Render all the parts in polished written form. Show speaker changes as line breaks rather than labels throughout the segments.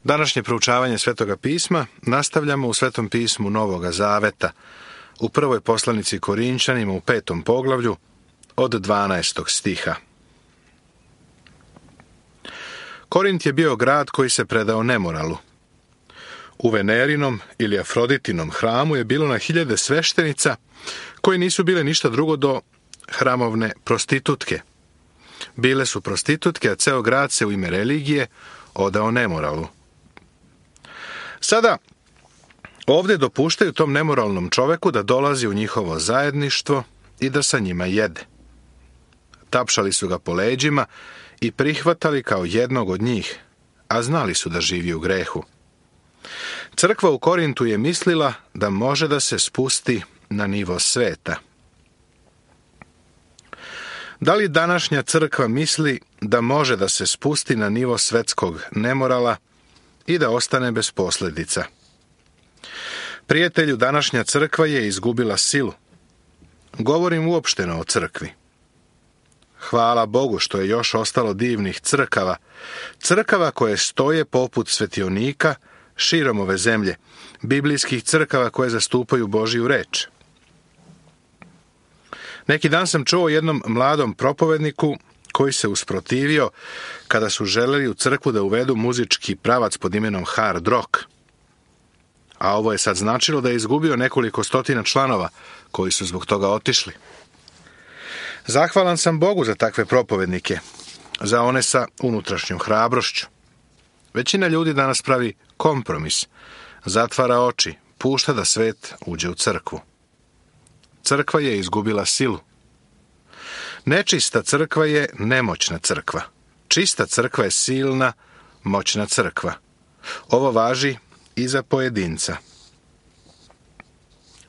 Današnje proučavanje Svetoga pisma nastavljamo u Svetom pismu Novoga Zaveta, u prvoj poslanici Korinčanima u 5. poglavlju od 12. stiha. Korint je bio grad koji se predao nemoralu. U Venerinom ili Afroditinom hramu je bilo na hiljade sveštenica koji nisu bile ništa drugo do hramovne prostitutke. Bile su prostitutke, a ceo grad se u ime religije odao nemoralu. Sada ovdje dopuštaju tom nemoralnom čoveku da dolazi u njihovo zajedništvo i da sa njima jede. Tapšali su ga po leđima i prihvatali kao jednog od njih, a znali su da živi u grehu. Crkva u Korintu je mislila da može da se spusti na nivo sveta. Da li današnja crkva misli da može da se spusti na nivo svetskog nemorala i da ostane bez posljedica? Prijatelju, današnja crkva je izgubila silu. Govorim uopšteno o crkvi. Hvala Bogu što je još ostalo divnih crkava, crkava koje stoje poput svetionika širom ove zemlje, biblijskih crkava koje zastupaju Božju reč. Neki dan sam čuo jednom mladom propovedniku koji se usprotivio kada su želeli u crkvu da uvedu muzički pravac pod imenom hard rock. A ovo je sad značilo da je izgubio nekoliko stotina članova koji su zbog toga otišli. Zahvalan sam Bogu za takve propovednike, za one sa unutrašnjom hrabrošću. Većina ljudi danas pravi kompromis, zatvara oči, pušta da svet uđe u crkvu. Crkva je izgubila silu. Nečista crkva je nemoćna crkva. Čista crkva je silna, moćna crkva. Ovo važi i za pojedinca.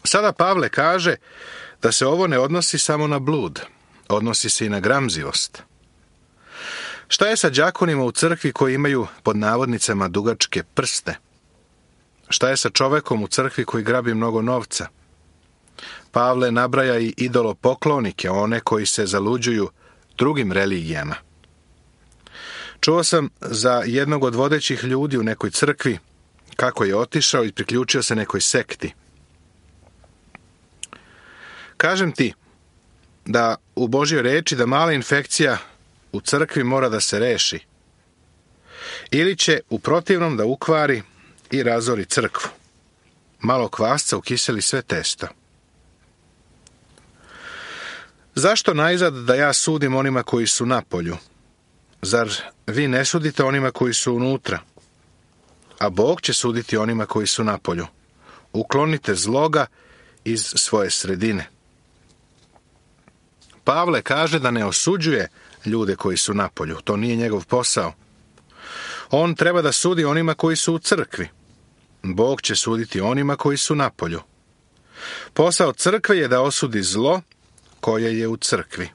Sada Pavle kaže da se ovo ne odnosi samo na blud, odnosi se i na gramzivost. Šta je sa đakonima u crkvi koji imaju pod navodnicama dugačke prste? Šta je sa čovekom u crkvi koji grabi mnogo novca? Pavle nabraja i idolopoklonike, one koji se zaluđuju drugim religijama. Čuo sam za jednog od vodećih ljudi u nekoj crkvi kako je otišao i priključio se nekoj sekti. Kažem ti da u Božjoj reči da mala infekcija u crkvi mora da se reši. Ili će u protivnom da ukvari i razori crkvu. Malo kvasca ukiseli sve testo. Zašto najzad da ja sudim onima koji su napolju? Zar vi ne sudite onima koji su unutra? A Bog će suditi onima koji su napolju. Uklonite zloga iz svoje sredine. Pavle kaže da ne osuđuje ljude koji su napolju. To nije njegov posao. On treba da sudi onima koji su u crkvi. Bog će suditi onima koji su napolju. Posao crkve je da osudi zlo koje je u crkvi.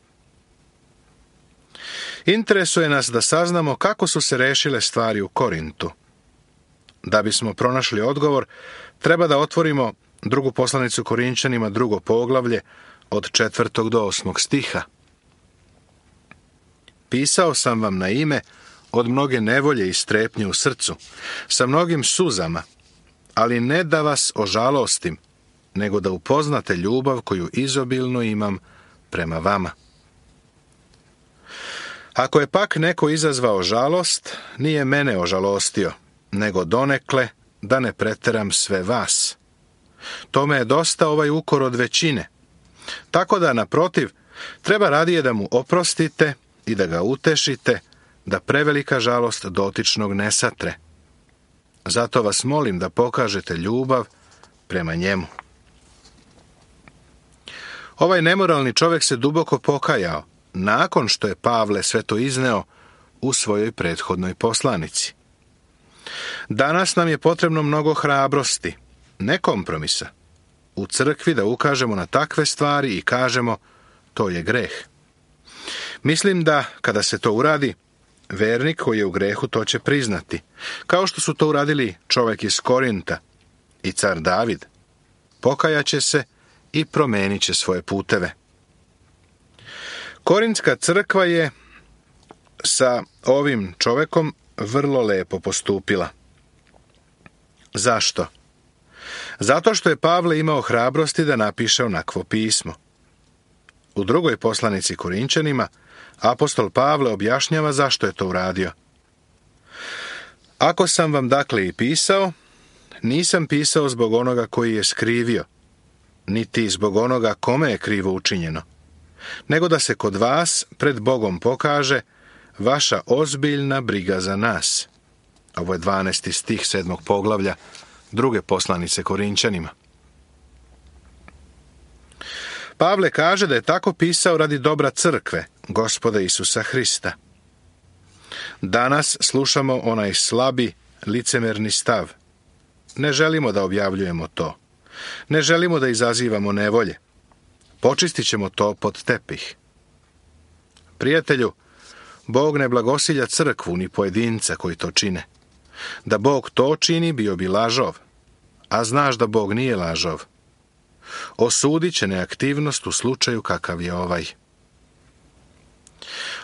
Interesuje nas da saznamo kako su se rešile stvari u Korintu. Da bismo pronašli odgovor, treba da otvorimo drugu poslanicu Korinčanima, 2. poglavlje, od 4. do 8. stiha. Pisao sam vam na ime od mnoge nevolje i strepnje u srcu, sa mnogim suzama, ali ne da vas ožalostim, nego da upoznate ljubav koju izobilno imam prema vama. Ako je pak neko izazvao žalost, nije mene ožalostio, nego donekle da ne preteram sve vas. Tome je dosta ovaj ukor od većine. Tako da, naprotiv, treba radije da mu oprostite i da ga utešite, da prevelika žalost dotičnog ne satre. Zato vas molim da pokažete ljubav prema njemu. Ovaj nemoralni čovjek se duboko pokajao, nakon što je Pavle sve to izneo u svojoj prethodnoj poslanici. Danas nam je potrebno mnogo hrabrosti, ne kompromisa. U crkvi da ukažemo na takve stvari i kažemo to je greh. Mislim da kada se to uradi, vernik koji je u grehu to će priznati, kao što su to uradili čovjek iz Korinta i car David. Pokajaće se i promenit će svoje puteve. Korintska crkva je sa ovim čovekom vrlo lepo postupila. Zašto? Zato što je Pavle imao hrabrosti da napiše onakvo pismo. U drugoj poslanici Korinčanima apostol Pavle objašnjava zašto je to uradio. Ako sam vam dakle i pisao, nisam pisao zbog onoga koji je skrivio, niti zbog onoga kome je krivo učinjeno, nego da se kod vas pred Bogom pokaže vaša ozbiljna briga za nas. Ovo je 12. stih 7. poglavlja druge poslanice Korinčanima. Pavle kaže da je tako pisao radi dobra crkve, Gospoda Isusa Hrista. Danas slušamo onaj slabi, licemerni stav. Ne želimo da objavljujemo to. Ne želimo da izazivamo nevolje. Počistit ćemo to pod tepih. Prijatelju, Bog ne blagosilja crkvu ni pojedinca koji to čine. Da Bog to čini, bio bi lažov. A znaš da Bog nije lažov. Osudit će neaktivnost u slučaju kakav je ovaj.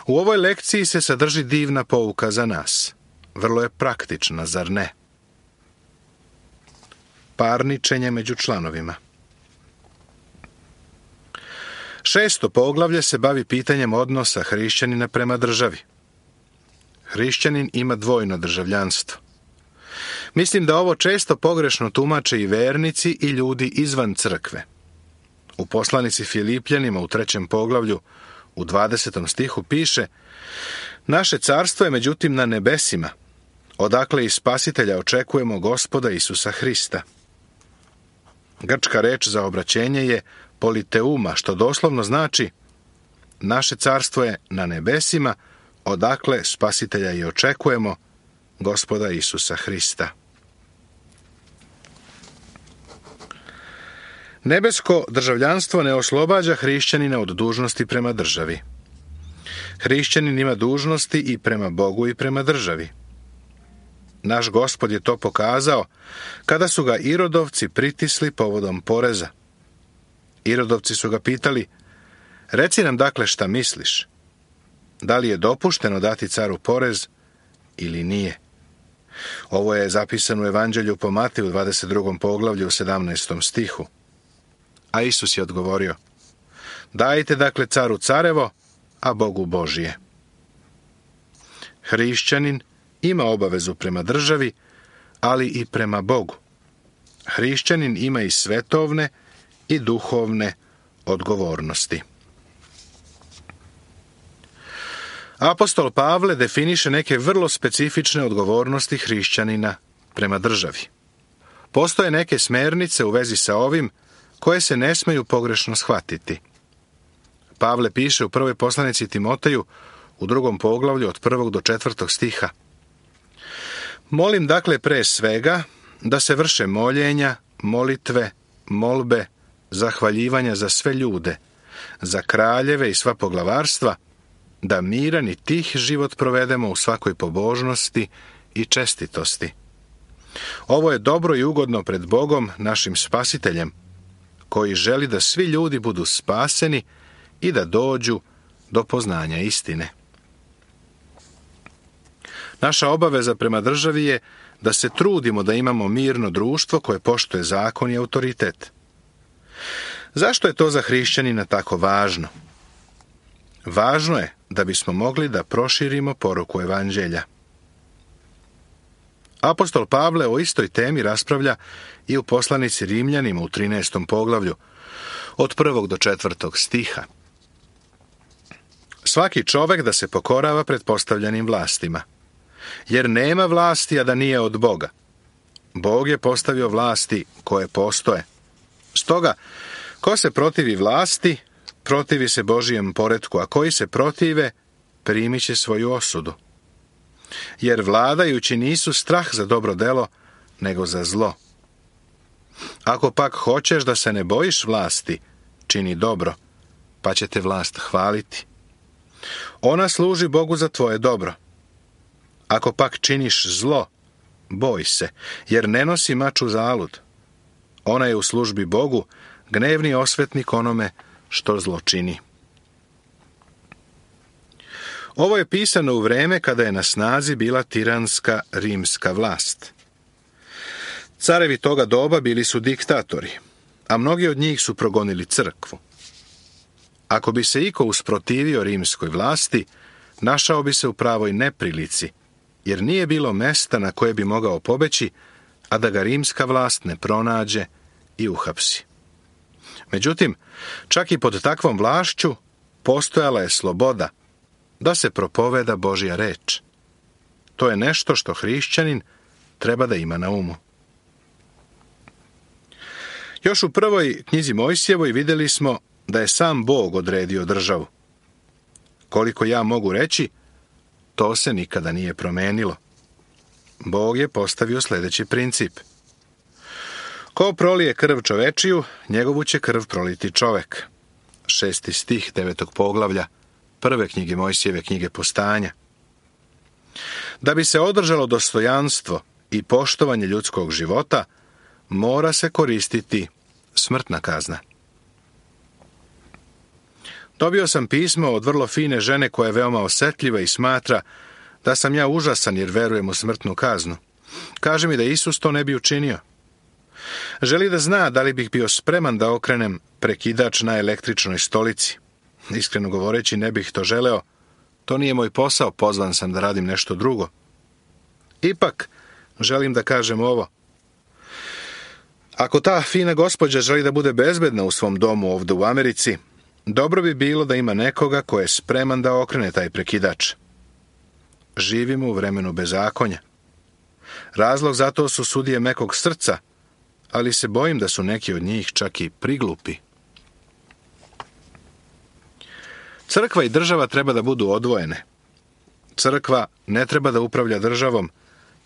U ovoj lekciji se sadrži divna pouka za nas. Vrlo je praktična, zar ne? Parničenje među članovima. 6. poglavlje se bavi pitanjem odnosa hrišćanina prema državi. Hrišćanin ima dvojno državljanstvo. Mislim da ovo često pogrešno tumače i vernici i ljudi izvan crkve. U poslanici Filipljanima u 3. poglavlju u 20. stihu piše: naše carstvo je međutim na nebesima, odakle i spasitelja očekujemo Gospoda Isusa Hrista. Grčka reč za obraćenje je politeuma, što doslovno znači naše carstvo je na nebesima, odakle spasitelja i očekujemo Gospoda Isusa Hrista. Nebesko državljanstvo ne oslobađa hrišćanina od dužnosti prema državi. Hrišćanin ima dužnosti i prema Bogu i prema državi. Naš Gospod je to pokazao kada su ga Irodovci pritisli povodom poreza. Irodovci su ga pitali: reci nam dakle šta misliš? Da li je dopušteno dati caru porez ili nije? Ovo je zapisano u Evanđelju po Mateju 22. poglavlju u 17. stihu. A Isus je odgovorio: dajte dakle caru carevo, a Bogu Božije. Hrišćanin ima obavezu prema državi, ali i prema Bogu. Hrišćanin ima i svetovne i duhovne odgovornosti. Apostol Pavle definiše neke vrlo specifične odgovornosti hrišćanina prema državi. Postoje neke smernice u vezi sa ovim koje se ne smeju pogrešno shvatiti. Pavle piše u prvoj poslanici Timoteju u 2. poglavlju od 1. do 4. stiha: molim dakle pre svega da se vrše moljenja, molitve, molbe, zahvaljivanja za sve ljude, za kraljeve i sva poglavarstva, da miran i tih život provedemo u svakoj pobožnosti i čestitosti. Ovo je dobro i ugodno pred Bogom, našim spasiteljem, koji želi da svi ljudi budu spaseni i da dođu do poznanja istine. Naša obaveza prema državi je da se trudimo da imamo mirno društvo koje poštuje zakon i autoritet. Zašto je to za hrišćanina tako važno? Važno je da bismo mogli da proširimo poruku Evanđelja. Apostol Pavle o istoj temi raspravlja i u poslanici Rimljanima u 13. poglavlju, od 1. do 4. stiha. Svaki čovek da se pokorava pretpostavljenim vlastima, jer nema vlasti, a da nije od Boga. Bog je postavio vlasti koje postoje. Stoga, ko se protivi vlasti, protivi se Božijem poretku, a koji se protive, primit će svoju osudu. Jer vladajući nisu strah za dobro delo, nego za zlo. Ako pak hoćeš da se ne bojiš vlasti, čini dobro, pa će te vlast hvaliti. Ona služi Bogu za tvoje dobro. Ako pak činiš zlo, boj se, jer ne nosi mač uzalud. Ona je u službi Bogu, gnevni osvetnik onome što zlo čini. Ovo je pisano u vreme kada je na snazi bila tiranska rimska vlast. Carevi toga doba bili su diktatori, a mnogi od njih su progonili crkvu. Ako bi se iko usprotivio rimskoj vlasti, našao bi se u pravoj neprilici, jer nije bilo mesta na koje bi mogao pobeći, a da ga rimska vlast ne pronađe i uhapsi. Međutim, čak i pod takvom vlašću postojala je sloboda da se propoveda Božja reč. To je nešto što hrišćanin treba da ima na umu. Još u prvoj knjizi Mojsijevoj vidjeli smo da je sam Bog odredio državu. Koliko ja mogu reći, to se nikada nije promenilo. Bog je postavio sljedeći princip. Ko prolije krv čovečiju, njegovu će krv proliti čovek. 6. stih 9. poglavlja prve knjige Mojsijeve, knjige Postanja. Da bi se održalo dostojanstvo i poštovanje ljudskog života, mora se koristiti smrtna kazna. Dobio sam pismo od vrlo fine žene koja je veoma osjetljiva i smatra da sam ja užasan jer verujem u smrtnu kaznu. Kaže mi da Isus to ne bi učinio. Želi da zna da li bih bio spreman da okrenem prekidač na električnoj stolici. Iskreno govoreći, ne bih to želeo. To nije moj posao, pozvan sam da radim nešto drugo. Ipak, želim da kažem ovo. Ako ta fina gospođa želi da bude bezbedna u svom domu ovdje u Americi, dobro bi bilo da ima nekoga ko je spreman da okrene taj prekidač. Živimo u vremenu bezakonja. Razlog za to su sudije mekog srca, ali se bojim da su neki od njih čak i priglupi. Crkva i država treba da budu odvojene. Crkva ne treba da upravlja državom,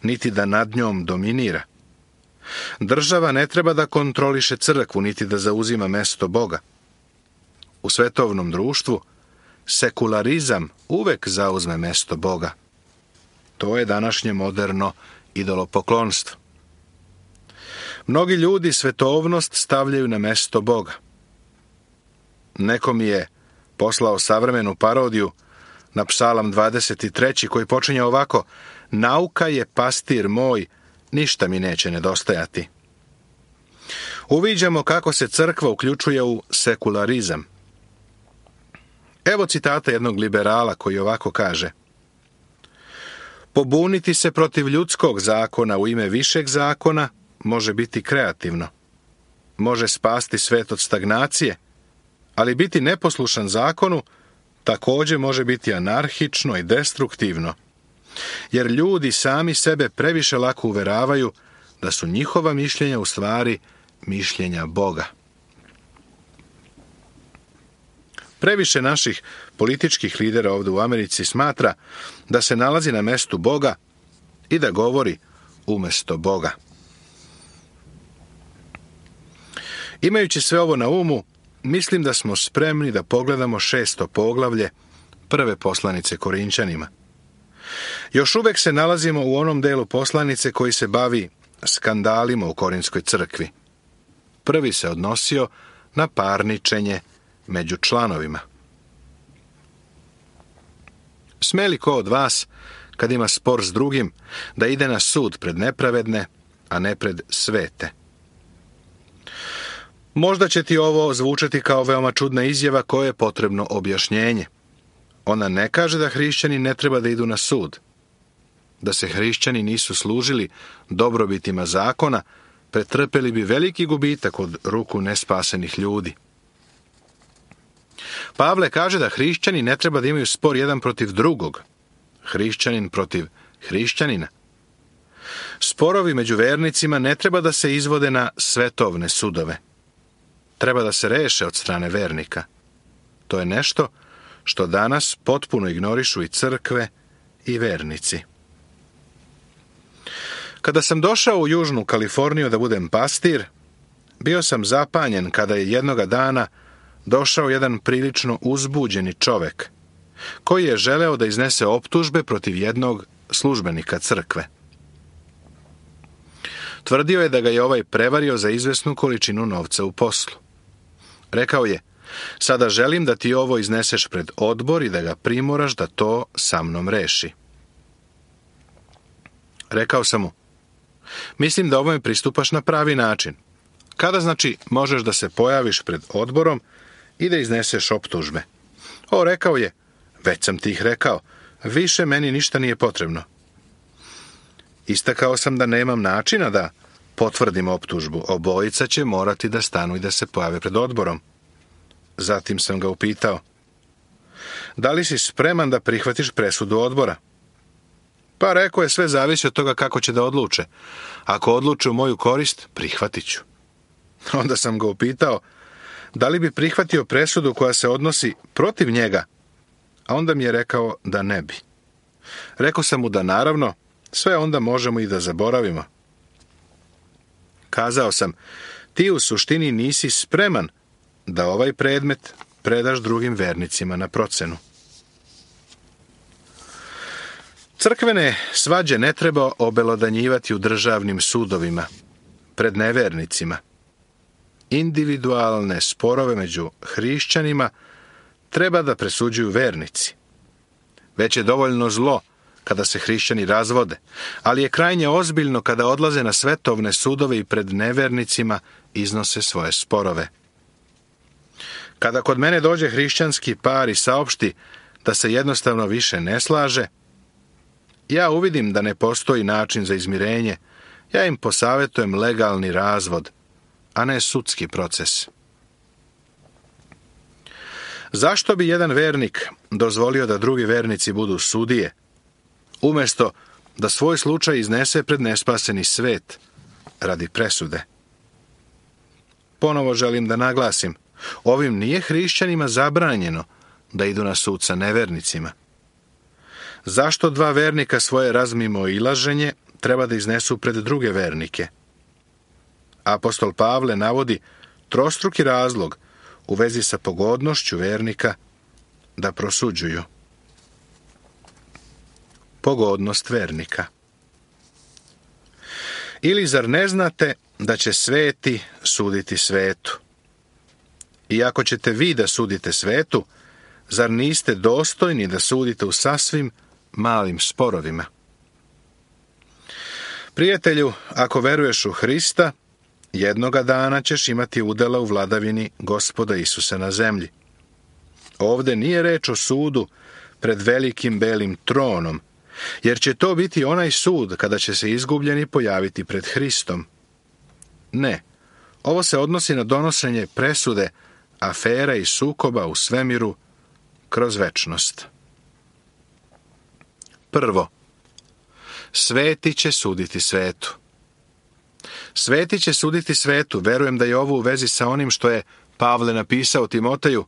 niti da nad njom dominira. Država ne treba da kontroliše crkvu, niti da zauzima mesto Boga. U svetovnom društvu sekularizam uvek zauzme mesto Boga. To je današnje moderno idolopoklonstvo. Mnogi ljudi svetovnost stavljaju na mesto Boga. Neko mi je poslao savremenu parodiju na Psalam 23. koji počinje ovako: nauka je pastir moj, ništa mi neće nedostajati. Uviđamo kako se crkva uključuje u sekularizam. Evo citata jednog liberala koji ovako kaže: pobuniti se protiv ljudskog zakona u ime višeg zakona može biti kreativno. Može spasti svet od stagnacije, ali biti neposlušan zakonu također može biti anarhično i destruktivno, jer ljudi sami sebe previše lako uveravaju da su njihova mišljenja u stvari mišljenja Boga. Previše naših političkih lidera ovdje u Americi smatra da se nalazi na mestu Boga i da govori umjesto Boga. Imajući sve ovo na umu, mislim da smo spremni da pogledamo 6. poglavlje prve poslanice Korinčanima. Još uvek se nalazimo u onom delu poslanice koji se bavi skandalima u Korinskoj crkvi. Prvi se odnosio na parničenje među članovima. Sme li ko od vas, kad ima spor s drugim, da ide na sud pred nepravedne, a ne pred svete? Možda će ti ovo zvučati kao veoma čudna izjava koje je potrebno objašnjenje. Ona ne kaže da hrišćani ne treba da idu na sud. Da se hrišćani nisu služili dobrobitima zakona, pretrpeli bi veliki gubitak od ruku nespasenih ljudi. Pavle kaže da hrišćani ne treba da imaju spor jedan protiv drugog, hrišćanin protiv hrišćanina. Sporovi među vernicima ne treba da se izvode na svetovne sudove. Treba da se reše od strane vernika. To je nešto što danas potpuno ignorišu i crkve i vernici. Kada sam došao u Južnu Kaliforniju da budem pastir, bio sam zapanjen kada je jednoga dana došao jedan prilično uzbuđeni čovek, koji je želeo da iznese optužbe protiv jednog službenika crkve. Tvrdio je da ga je ovaj prevario za izvesnu količinu novca u poslu. Rekao je: sada želim da ti ovo izneseš pred odbor i da ga primoraš da to sa mnom reši. Rekao sam mu: Mislim da ovome pristupaš na pravi način. Kada znači možeš da se pojaviš pred odborom i da izneseš optužbe? Rekao je, već sam ti ih rekao, više meni ništa nije potrebno. Istakao sam da nemam načina da potvrdim optužbu. Obojica će morati da stanu i da se pojave pred odborom. Zatim sam ga upitao, da li si spreman da prihvatiš presudu odbora? Pa rekao je, sve zavisi od toga kako će da odluče. Ako odluče u moju korist, prihvatit ću. Onda sam ga upitao, da li bi prihvatio presudu koja se odnosi protiv njega? A onda mi je rekao da ne bi. Rekao sam mu da naravno, sve onda možemo i da zaboravimo. Kazao sam, ti u suštini nisi spreman da ovaj predmet predaš drugim vernicima na procenu. Crkvene svađe ne treba obelodanjivati u državnim sudovima, pred nevernicima. Individualne sporove među hrišćanima treba da presuđuju vernici. Već je dovoljno zlo kada se hrišćani razvode, ali je krajnje ozbiljno kada odlaze na svetovne sudove i pred nevernicima iznose svoje sporove. Kada kod mene dođe hrišćanski par i saopšti da se jednostavno više ne slaže, ja uvidim da ne postoji način za izmirenje, ja im posavetujem legalni razvod, a ne sudski proces. Zašto bi jedan vernik dozvolio da drugi vernici budu sudije, umjesto da svoj slučaj iznese pred nespaseni svet radi presude? Ponovo želim da naglasim, ovim nije hrišćanima zabranjeno da idu na sud sa nevernicima. Zašto dva vernika svoje razmimoilaženje treba da iznesu pred druge vernike? Apostol Pavle navodi trostruki razlog u vezi sa pogodnošću vernika da prosuđuju. Pogodnost vernika. Ili zar ne znate da će sveti suditi svetu? I ako ćete vi da sudite svetu, zar niste dostojni da sudite u sasvim malim sporovima? Prijatelju, ako veruješ u Hrista, jednoga dana ćeš imati udela u vladavini Gospoda Isusa na zemlji. Ovde nije reč o sudu pred velikim belim tronom, jer će to biti onaj sud kada će se izgubljeni pojaviti pred Hristom. Ne, ovo se odnosi na donošenje presude, afera i sukoba u svemiru kroz večnost. Prvo, sveti će suditi svetu. Sveti će suditi svetu, verujem da je ovo u vezi sa onim što je Pavle napisao Timoteju,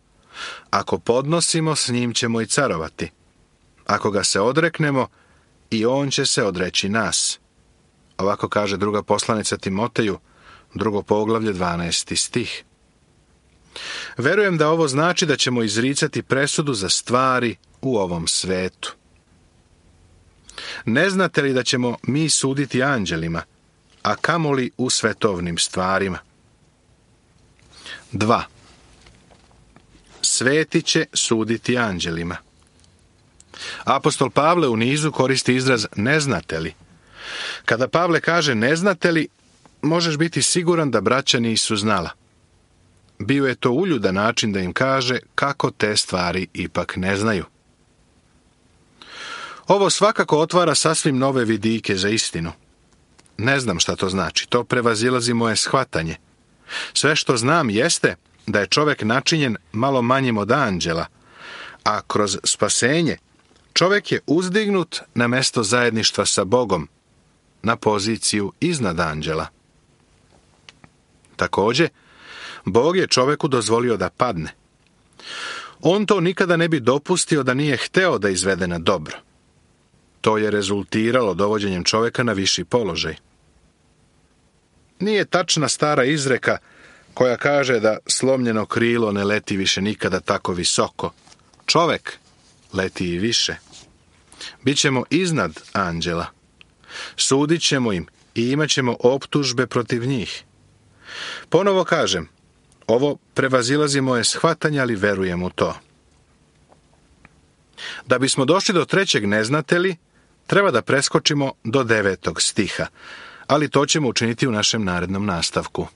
ako podnosimo, s njim ćemo i carovati. Ako ga se odreknemo, i on će se odreći nas. Ovako kaže druga poslanica Timoteju, 2. poglavlje, 12. stih. Verujem da ovo znači da ćemo izricati presudu za stvari u ovom svetu. Ne znate li da ćemo mi suditi anđelima, a kamoli u svetovnim stvarima? 2. Sveti će suditi anđelima. Apostol Pavle u nizu koristi izraz ne znate li. Kada Pavle kaže ne znate li, možeš biti siguran da braća nisu znala. Bio je to uljudan način da im kaže kako te stvari ipak ne znaju. Ovo svakako otvara sasvim nove vidike za istinu. Ne znam šta to znači, to prevazilazi moje shvatanje. Sve što znam jeste da je čovek načinjen malo manjim od anđela, a kroz spasenje čovek je uzdignut na mesto zajedništva sa Bogom, na poziciju iznad anđela. Takođe, Bog je čoveku dozvolio da padne. On to nikada ne bi dopustio da nije hteo da izvede na dobro. To je rezultiralo dovođenjem čoveka na viši položaj. Nije tačna stara izreka koja kaže da slomljeno krilo ne leti više nikada tako visoko. Čovek leti i više. Bićemo iznad anđela. Sudit ćemo im i imat ćemo optužbe protiv njih. Ponovo kažem, ovo prevazilazi moje shvatanje, ali verujem u to. Da bismo došli do 3. ne znate li, treba da preskočimo do 9. stiha, ali to ćemo učiniti u našem narednom nastavku.